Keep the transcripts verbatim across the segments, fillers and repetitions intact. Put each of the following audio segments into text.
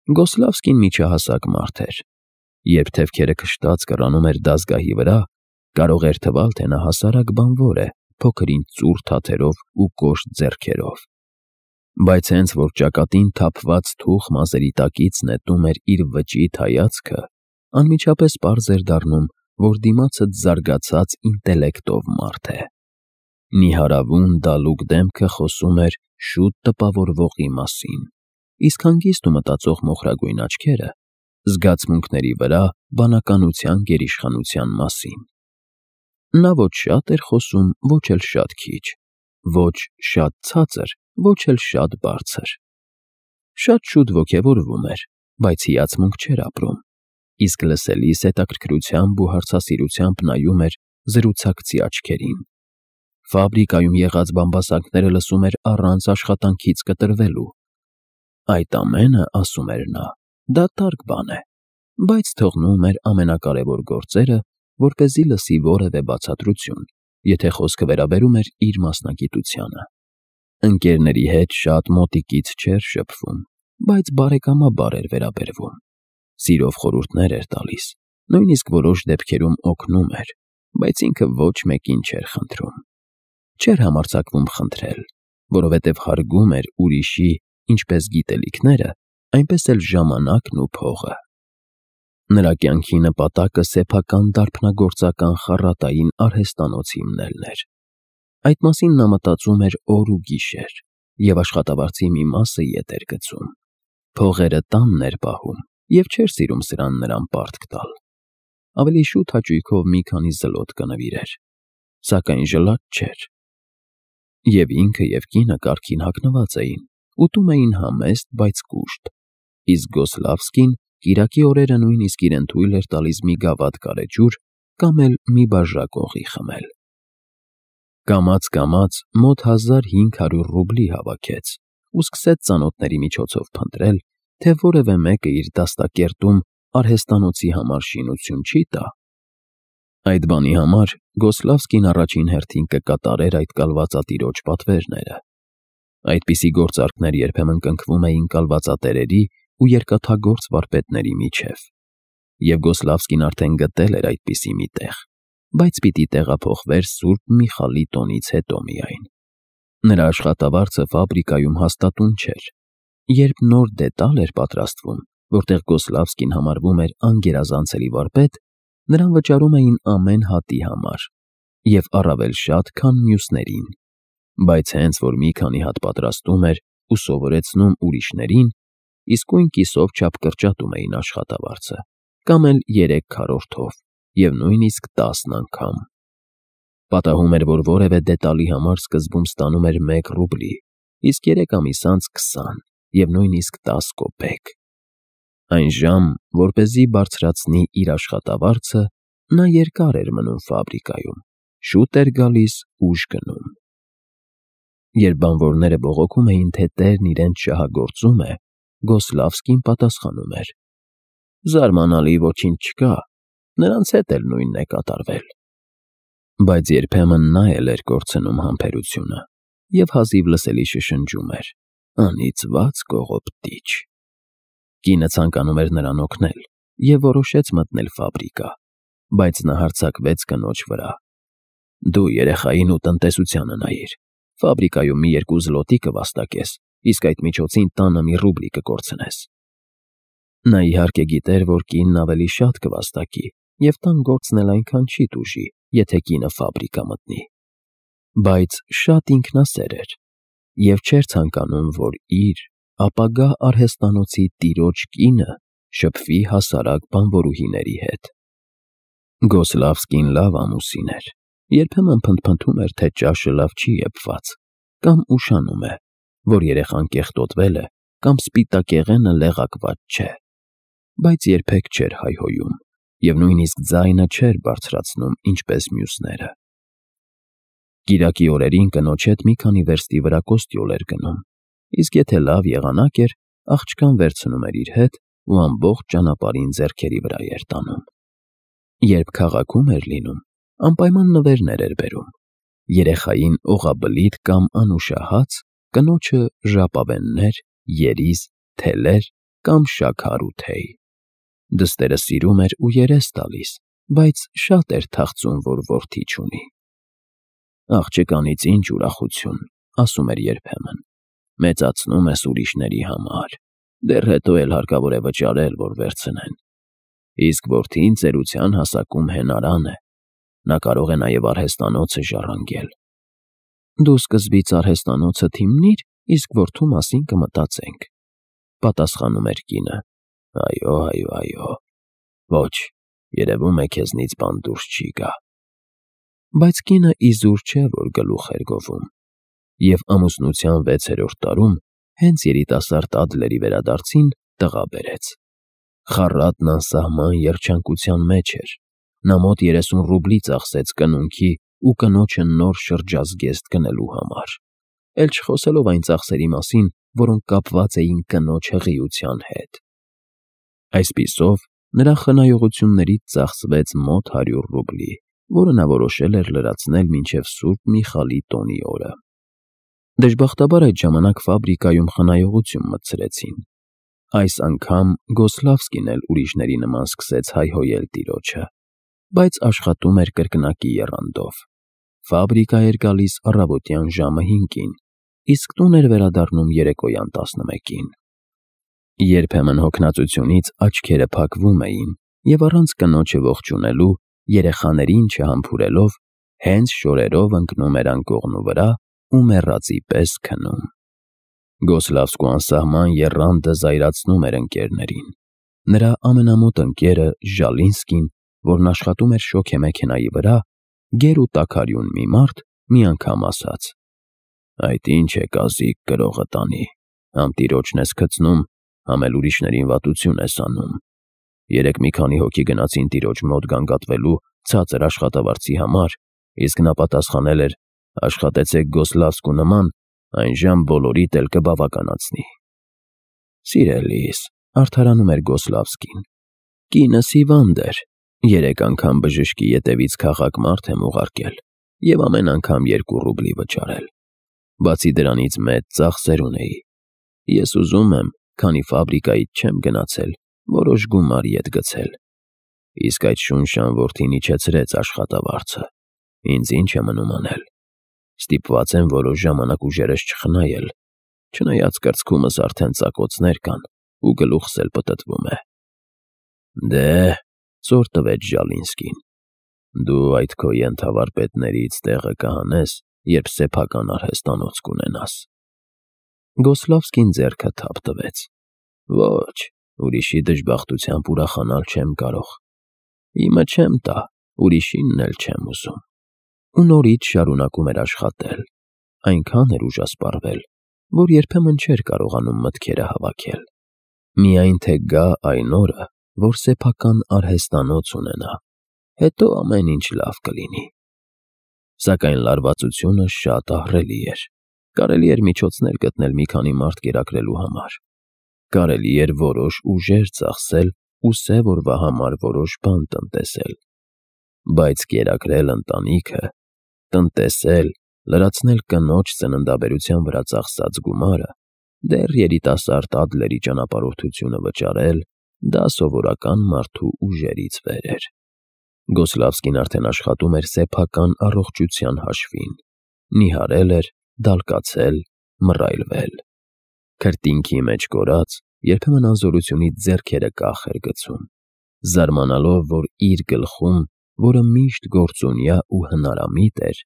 Գոսլավսկին միջահասակ մարդ էր։ Երբ թևքերը քշտած կռանում էր դազգահի վրա, կարող էր թվալ, թե նա հասարակ բանվոր է, փոքր-ինչ ծուռ թաթերով ու կոշտ ձեռքերով։ Բայց հենց որ ճակատին թափված թուխ մազերի տակից նետում էր իր վճիտ հայացքը, անմիջապես պարզ էր դառնում, որ դիմացդ զարգացած ինտելեկտով մարդ է։ Նիհարավուն դալուկ դեմքը խոսում էր շուտ տպավորվողի մասին, իսկ հանգիստ ու մտածող մոխրագույն աչքերը զգացմունքների վրա բանականության գերիշխանության մասին։ Նա ոչ շատ էր խոսում, ոչ էլ շատ քիչ, ոչ շատ ցածր, ոչ էլ շատ բարձր։ Շատ շուտ ոգևորվում էր, բայց հիացմունք չէր ապրում, իսկ լսելիս հետաքրքրությամբ ու հարցասիրությամբ նայում էր զրուցակցի աչքերին։ Ֆաբրիկայում եղած բամբասանքները լսում էր առանց աշխատանքից կտրվելու։ Այդ ամենը, ասում էր նա, դատարկ բան է, բայց թողնում էր ամենակարևոր գործերը, որպեսզի լսի որևէ բացատրություն, եթե խոսքը վերաբերում էր իր մասնագիտությանը։ Ընկերների հետ շատ մոտիկից չէր շփվում, բայց բարեկամաբար էր վերաբերվում։ Սիրով խորհուրդներ էր տալիս, նույնիսկ որոշ դեպքերում օգնում էր, բայց ինքը ոչ մեկին չէր խնդրում։ Չէր համարձակվում խնդրել, որովհետև հարգում էր ուրիշի ինչպես գիտելիքները, այնպես էլ ժամանակն ու փողը։ Նրա կյանքի նպատակը սեփական դարբնագործական խառատային արհեստանոց հիմնելն էր։ Այդ մասին նա մտածում էր օր ու գիշեր և աշխատավարձի մի մասը ետ էր գցում։ Փողերը տանն էր պահում և չէր սիրում սրան նրան պարտք տալ։ Ավելի շուտ հաճույքով մի քանի զլոտ կնվիրեր, սակայն ժլատ չէր։ Եվ ինքը և կինը կարգին հագնված էին, ուտում էին համեստ, բայց կուշտ, իսկ Գոսլավսկին կիրակի օրերը նույնիսկ իրեն թույլ էր տալիս մի գավաթ գարեջուր կամ էլ մի բաժակ օղի խմել։ Կամաց-կամաց մոտ հազար հինգ հարյուր ռուբլի հավաքեց ու սկսեց ծանոթների միջոցով փնտրել, թե որևէ մեկը իր դաստակերտում արհեստանոցի համար շինություն չի տա։ Այդ բանի համար Գոսլավսկին առաջին հերթին կկատարեր այդ կալվածատիրոջ պատվերները։ Այդպիսի գործարքներ երբեմն կնքվում էին կալվածատերերի ու երկաթագործ վարպետների միջև, և Գոսլավսկին արդեն գտել էր այդպիսի մի տեղ, բայց պիտի տեղափոխվեր Սուրբ Միխալի տոնից հետո միայն։ Նրա աշխատավարձը ֆաբրիկայում հաստատուն չէր։ Երբ նոր դետալ էր պատրաստվում, որտեղ Գոսլավսկին համարվում էր անգերազանցելի վարպետ, նրան վճարում էին ամեն հատի համար և առավել շատ, քան մյուսներին, բայց հենց որ մի քանի հատ պատրաստում էր ու սովորեցնում ուրիշներին, իսկույն կիսով չափ կրճատում էին աշխատավարձը, կամ էլ երեք քառորդով, և նույնիսկ տասն անգամ։ Պատահում էր, որ որևէ դետալի համար սկզբում ստանում էր մեկ ռուբլի, իսկ երեք ամիս անց քսան և նույնիսկ տասը կոպեկ։ Այն ժամ, որպեսզի բարձրացնի իր աշխատավարձը, նա երկար էր մնում ֆաբրիկայում, շուտ էր գալիս, ուշ գնում։ Երբ բանվորները բողոքում էին, թե տերն իրենց շահագործում է, Գոսլավսկին պատասխանում էր. «Զարմանալի ոչինչ չկա, նրանց հետ էլ նույնն է կատարվել»։ Բայց երբեմն նա էլ էր կորցնում համբերությունը և հազիվ լսելի շշնջում էր. «Անիծված կողոպտիչ»։ Կինը ցանկանում էր նրան օգնել և որոշեց մտնել ֆաբրիկա, բայց նա հարձակվեց կնոջ վրա. «Դու երեխային ու տնտեսությանը նայիր, ֆաբրիկայում մի երկու զլոտի կվաստակես, իսկ այդ միջոցին տանը մի ռուբլի կկորցնես»։ Նա իհարկե գիտեր, որ կինն ավելի շատ կվաստակի, և տան գործն էլ այնքան չի տուժի, եթե կինը ֆաբրիկա մտնի։ Բայց շատ ինքնասեր էր և չէր ցանկանում, որ իր ապագա արհեստանոցի տիրոջ կինը շփվի հասարակ բանվորուհիների հետ։ Գոսլավսկին լավ ամուսին էր, երբեմն փնթփնթում էր, թե ճաշը լավ չի եփված, կամ ուշանում է, որ երեխան կեղտոտվել է, կամ սպիտակեղենը լեղակված չէ, բայց երբեք չէր հայհոյում և նույնիսկ ձայնը չէր բարձրացնում, ինչպես մյուսները։ Կիրակի օրերին կնոջ հետ մի քանի վերստի վրա կոստյոլ էր գնում, իսկ եթե լավ եղանակ էր, աղջկան վերցնում էր իր հետ ու ամբողջ ճանապարհին ձեռքերի վրա էր տանում։ Երբ քաղաքում էր լինում, անպայման նվերներ էր բերում, երեխային օղաբլիթ կամ անուշահաց, կնոջը ժապավեններ, երիզ, թելեր կամ շաքար ու թեյ։ Դստերը սիրում էր ու երես տալիս, բայց շատ էր թախծում, որ որդի չունի։ «Աղջկանից ինչ ուրախություն», ասում էր երբեմն, «մեծացնում ես ուրիշների համար, դեռ հետո էլ հարկավոր է վճարել, որ վերցնեն։ Իսկ որդին ծերության հասակում հենարան է, նա կարող է նաև արհեստանոցը ժառանգել»։ «Դու սկզբից արհեստանոցը թիմնիր, իսկ որդու մասին կմտածենք», պատասխանում էր կինը։ «Այո, այո, այո, ոչ, երևում է քեզնից բան դուրս չի գա»։ Բայց կինը իզուր չէ, որ գլուխ էր գովում, և ամուսնության վեցերորդ տարում, հենց երիտասարդ Ադլերի վերադարձին, տղա բերեց։ Խառատն անսահման երջանկության մեջ էր, նա մոտ երեսուն ռուբլի ծախսեց կնունքի ու կնոջը նոր շրջազգեստ գնելու համար, էլ չխոսելով այն ծախսերի մասին, որոնք կապված էին կնոջ հղիության հետ։ Այսպիսով, նրա խնայողություններից ծախսվեց մոտ հարյուր ռուբլի, որը նա որոշել էր լրացնել մինչև Սուրբ Միխալի տոնի օրը։ Դժբախտաբար այդ ժամանակ ֆաբրիկայում խնայողություն մտցրեցին։ Այս անգամ Գոսլավսկին էլ ուրիշների նման սկսեց հայհոյել տիրոջը, բայց աշխատում էր կրկնակի եռանդով։ Ֆաբրիկա էր գալիս առավոտյան ժամը հինգին, իսկ տուն էր վերադառնում երեկոյան տասնմեկին։ Երբեմն հոգնածությունից աչքերը փակվում էին, և առանց կնոջը ողջունելու, երեխաներին չհամբուրելով, հենց շորերով ընկնում էր անկողնու վրա ու մեռածի պես քնում։ Գոսլավսկու անսահման եռանդը զայրացնում էր ընկերներին։ Նրա ամենամոտ ընկերը Ժալինսկին, որն աշխատում էր շոգեմեքենայի վրա, գեր ու տաքարյուն մի մարդ, մի անգամ ասաց. «Այդ ինչ է կազիկ կրողը տանի, համ տիրոջն ես գցնում, համ էլ ուրիշներին վատություն ես անում»։ Երեկ մի քանի հոգի գնացին տիրոջ մոտ գանգատվելու ցածր աշխատավարձի համար, իսկ նա պատասխանել էր. «Աշխատեցեք Գոսլավսկու նման, այնժամ բոլորիդ էլ կբավականացնի»։ «Սիրելիս», արդարանում էր Գոսլավսկին, «կինս հիվանդ էր, երեք անգամ բժշկի ետևից քաղաք մարդ եմ ուղարկել և ամեն անգամ երկու ռուբլի վճարել։ Բացի դրանից մեծ ծախսեր ունեի։ Ես ուզում եմ, քանի ֆաբրիկայից չեմ գնացել, որոշ գումար ետ գցել։ Իսկ այդ շունշան որդին իջեցրեց աշխատավարձը, ինձ ինչ է մնում անել։ Ստիպված եմ որոշ ժամանակ ուժերս չխնայել, չնայած կրծքումս արդեն ծակոցներ կան ու գլուխս էլ պտտվում է»։ «Դե՛հ», ծոր տվեց Ժալինսկին, «դու այդ քո ենթավարպետներից տեղը կհանես, երբ սեփական արհեստանոց կունենաս»։ Գոսլավսկին ձեռքը թափ տվեց։ «Ոչ, ուրիշի դժբախտությամբ ուրախանալ չեմ կարող։ Իմը չեմ տա, ուրիշինն էլ չեմ ուզում»։ Ու նորից շարունակում էր աշխատել, այնքան էր ուժասպառվել, որ երբեմն չէր կարողանում մտքերը հավաքել։ Միայն թե գա այն օրը, որ սեփական արհեստանոց ունենա, հետո ամեն ինչ լավ կլինի։ Սակայն լարվածությունը շատ ահռելի էր։ Կարելի էր միջոցներ գտնել մի քանի մարդ կերակրելու համար։ Կարելի էր որոշ ուժեր ծախսել ու սև օրվա համար որոշ բան տնտեսել։ Բայց կերակրել ընտանիքը, տնտեսել, լրացնել կնոջ ծննդաբերության վրա ծախսած գումարը, դեռ երիտասարդ Ադլերի ճանապարհորդությունը վճարել, դա սովորական մարդու ուժերից վեր էր։ Գոսլավսկին արդեն աշխատում էր սեփական առողջության հաշվին, նիհարել էր, դալկացել, մռայլվել։ Քրտինքի մեջ կորած, երբեմն անզորությունից ձեռքերը կախ էր գցում, զարմանալով, որ իր գլխում, որը միշտ գործունյա ու հնարամիտ էր,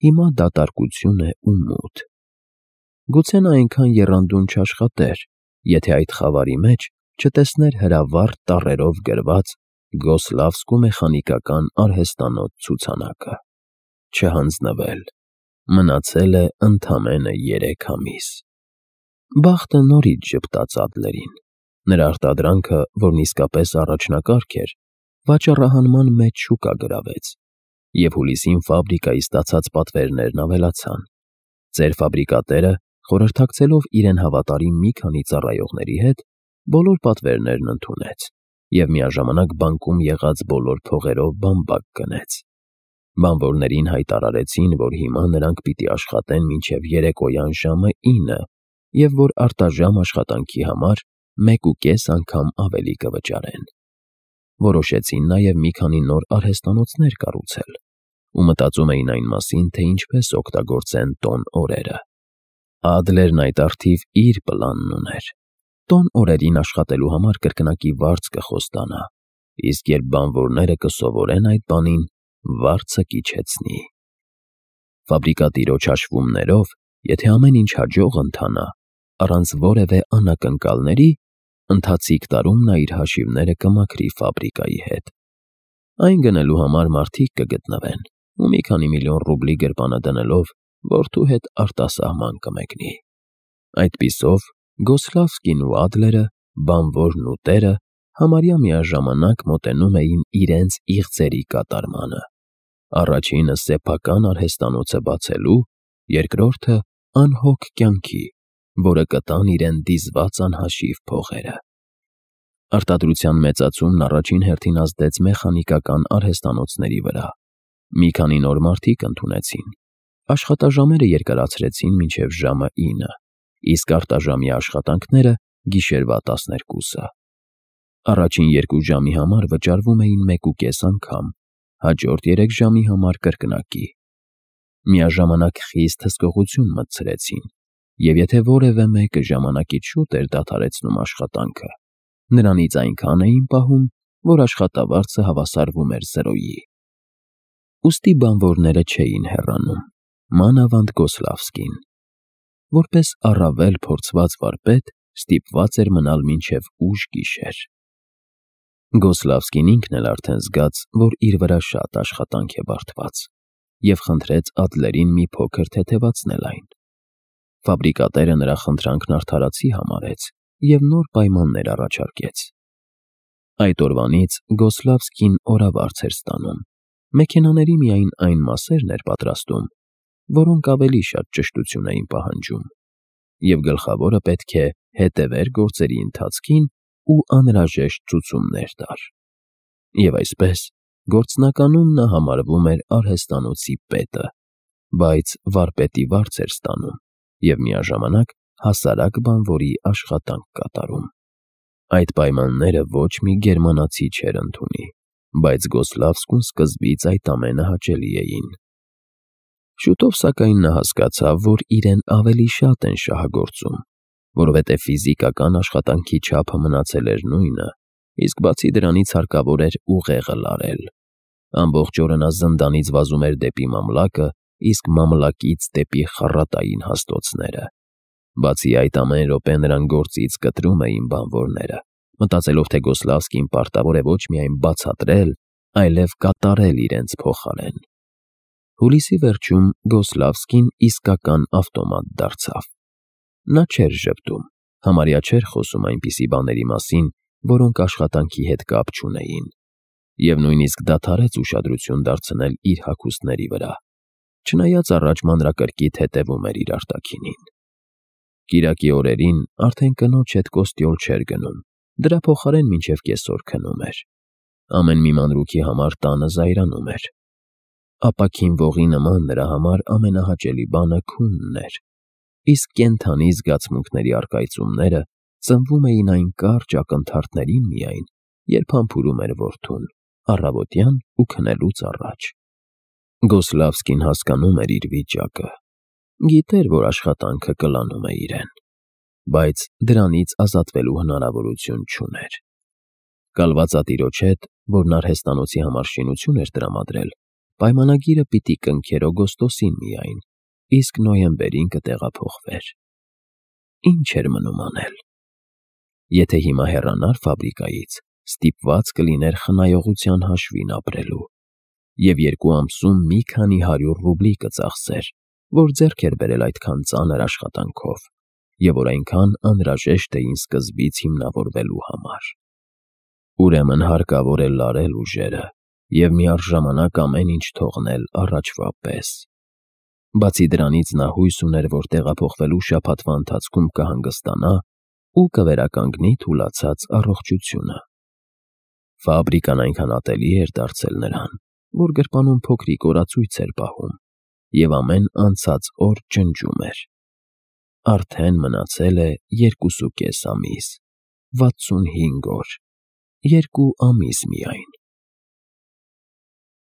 հիմա դատարկություն է ու մութ։ Գուցե նա այնքան եռանդուն չաշխատեր, եթե այդ խավարի մեջ չտեսներ հրավառ տառերով գրված Գոսլավսկու մեխանիկական արհեստանոց ցուցանակը։ Չհանձնվել։ Մնացել է ընդամենը երեք ամիս։ Բախտը նորից ժպտաց Ադլերին։ Նրա արտադրանքը, որն իսկապես առաջնակարգ էր, վաճառահանման մեջ շուկա գրավեց, և հուլիսին ֆաբրիկայի ստացած պատվերներն ավելացան։ Ծեր ֆաբրիկատերը, խորհրդակցելով իրեն հավատարիմ մի քանի ծառայողների հետ, բոլոր պատվերներն ընդունեց և միաժամանակ բանկում եղած բոլոր փողերով բամբակ գնեց։ Բանվորներին հայտարարեցին, որ հիմա նրանք պիտի աշխատեն մինչև երեկոյան ժամը ինը և որ արտաժամ աշխատանքի համար մեկ ու կես անգամ ավելի կվճարեն։ Որոշեցին նաև մի քանի նոր արհեստանոցներ կառուցել ու մտածում էին այն մասին, թե ինչպես օգտագործեն տոն օրերը։ Ադլերն այդ առթիվ իր պլանն ուներ։ Տոն օրերին աշխատելու համար կրկնակի վարձ կխոստանա, իսկ երբ բանվորները կսովորեն այդ բանին, վարձը կիջեցնի։ Ֆաբրիկատիրոջ հաշվումներով, եթե ամեն ինչ հաջող ընթանա, առանց որևէ անակնկալների, ընթացիկ տարում նա իր հաշիվները կմաքրի ֆաբրիկայի հետ։ Այն գնելու համար մարդիկ կգտնվեն, ու մի քանի միլիոն ռուբլի գրպանը դնելով որդու հետ արտասահման կմեկնի։ Այդպիսով Գոսլավսկին ու Ադլերը, բանվորն ու տերը, համարյա միաժամանակ մոտենում էին իրենց իղձերի կատարմանը։ Առաջինը սեփական արհեստանոցը բացելու, երկրորդը անհոգ կյանքի, որը կտան իրեն դիզված անհաշիվ փողերը։ Արտադրության մեծացումն առաջին հերթին ազդեց մեխանիկական արհեստանոցների վրա։ Մի քանի նոր մարդիկ ընդունեցին։ Աշխատաժամերը երկարացրեցին մինչև ժամը ինը, իսկ արտաժամյա աշխատանքները գիշերվա տասներկուսը։ Առաջին երկու ժամի համար վճարվում էին մեկ ու կես անգամ, հաջորդ երեք ժամի համար կրկնակի։ Միաժամանակ խիստ հսկողություն մտցրեցին, և եթե որևէ մեկը ժամանակից շուտ էր դադարեցնում աշխատանքը, նրանից այնքան էին պահում, որ աշխատավարձը հավասարվում էր զրոյի։ Ուստի բանվորները չէին հեռանում, մանավանդ Գոսլավսկին։ Որպես առավել փորձված վարպետ ստիպված էր մնալ մինչև ուշ գիշեր։ Գոսլավսկին ինքն էլ արդեն զգաց, որ իր վրա շատ աշխատանք է բարդված, և խնդրեց Ադլերին մի փոքր թեթևացնել այն։ Ֆաբրիկատերը նրա խնդրանքն արդարացի համարեց և նոր պայմաններ առաջարկեց։ Այդ օրվանից Գոսլավսկին օրավարձ էր ստանում, մեքենաների միայն այն մասերն էր պատրաստում, որոնք ավելի շատ ճշտություն էին պահանջում, և գլխավորը պետք է հետևեր գործերի ընթացքին ու անհրաժեշտ ցուցումներ տար։ Եվ այսպես, գործնականում նա համարվում էր արհեստանոցի պետը, բայց վարպետի վարձ էր ստանում և միաժամանակ հասարակ բանվորի աշխատանք կատարում։ Այդ պայմանները ոչ մի գերմանացի չէր ընդունի, բայց Գոսլավսկուն սկզբից այդ ամենը հաճելի էին։ Շուտով սակայն նա հասկացավ, որ իրեն ավելի շատ են շահագործում, որովհետև ֆիզիկական աշխատանքի չափը մնացել էր նույնը, իսկ բացի դրանից հարկավոր էր ուղեղը լարել։ Ամբողջ օրը նա զնդանից վազում էր դեպի մամլակը, իսկ մամլակից դեպի խառատային հաստոցները։ Բացի այդ, ամեն րոպե նրան գործից կտրում էին բանվորները, մտածելով, թե Գոսլավսկին պարտավոր է ոչ միայն բացատրել, այլև կատարել իրենց փոխարեն։ Հուլիսի վերջում Գոսլավսկին իսկական ավտոմատ դարձավ։ Նա չէր ժպտում, համարյա չէր խոսում այնպիսի բաների մասին, որոնք աշխատանքի հետ կապ չունեին, և նույնիսկ դադարեց ուշադրություն դարձնել իր հագուստների վրա, չնայած առաջ մանրակրկիտ հետևում էր իր արտաքինին։ Կիրակի օրերին արդեն կնոջ հետ կոստյոլ չէր գնում, դրա փոխարեն մինչև կեսօր քնում էր։ Ամեն մի մանրուքի համար տանը զայրանում էր։ Ապաքին ողի նման նրա համար ամենահաճելի բանը քունն էր, իսկ կենդանի զգացմունքների առկայծումները ծնվում էին այն կարճ ակնթարթներին միայն, երբ համբուրում էր որդուն, առավոտյան ու քնելուց առաջ։ Գոսլավսկին հասկանում էր իր վիճակը, գիտեր, որ աշխատանքը կլանում է իրեն, բայց դրանից ազատվելու հնարավորություն չուներ։ Կալվածատիրոջ հետ, որն արհեստանոցի համար շինություն էր տրամադրել, պայմանագիրը պիտի կնքեր օգոստոսին միայն, իսկ նոյեմբերին կտեղափոխվեր։ Ինչ էր մնում անել։ Եթե հիմա հեռանար ֆաբրիկայից, ստիպված կլիներ խնայողության հաշվին ապրելու, և երկու ամսում մի քանի հարյուր ռուբլի կծախսեր, որ ձեռք էր բերել այդքան ծանր աշխատանքով, և որ այնքան անհրաժեշտ էին սկզբից հիմնավորվելու համար։ Ուրեմն հարկավոր է լարել ուժերը և միառժամանակ ամեն ինչ թողնել առաջվա պես։ Բացի դրանից նա հույս ուներ, որ տեղափոխվելու շաբաթվա ընթացքում կհանգստանա ու կվերականգնի թուլացած առողջությունը։ Ֆաբրիկան այնքան ատելի էր դարձել նրան, որ գրպանում փոքրիկ օրացույց էր պահում, և ամեն անցած օր ջնջում էր. արդեն մնացել է երկուսուկես ամիս, վաթսունհինգ օր, երկու ամիս միայն։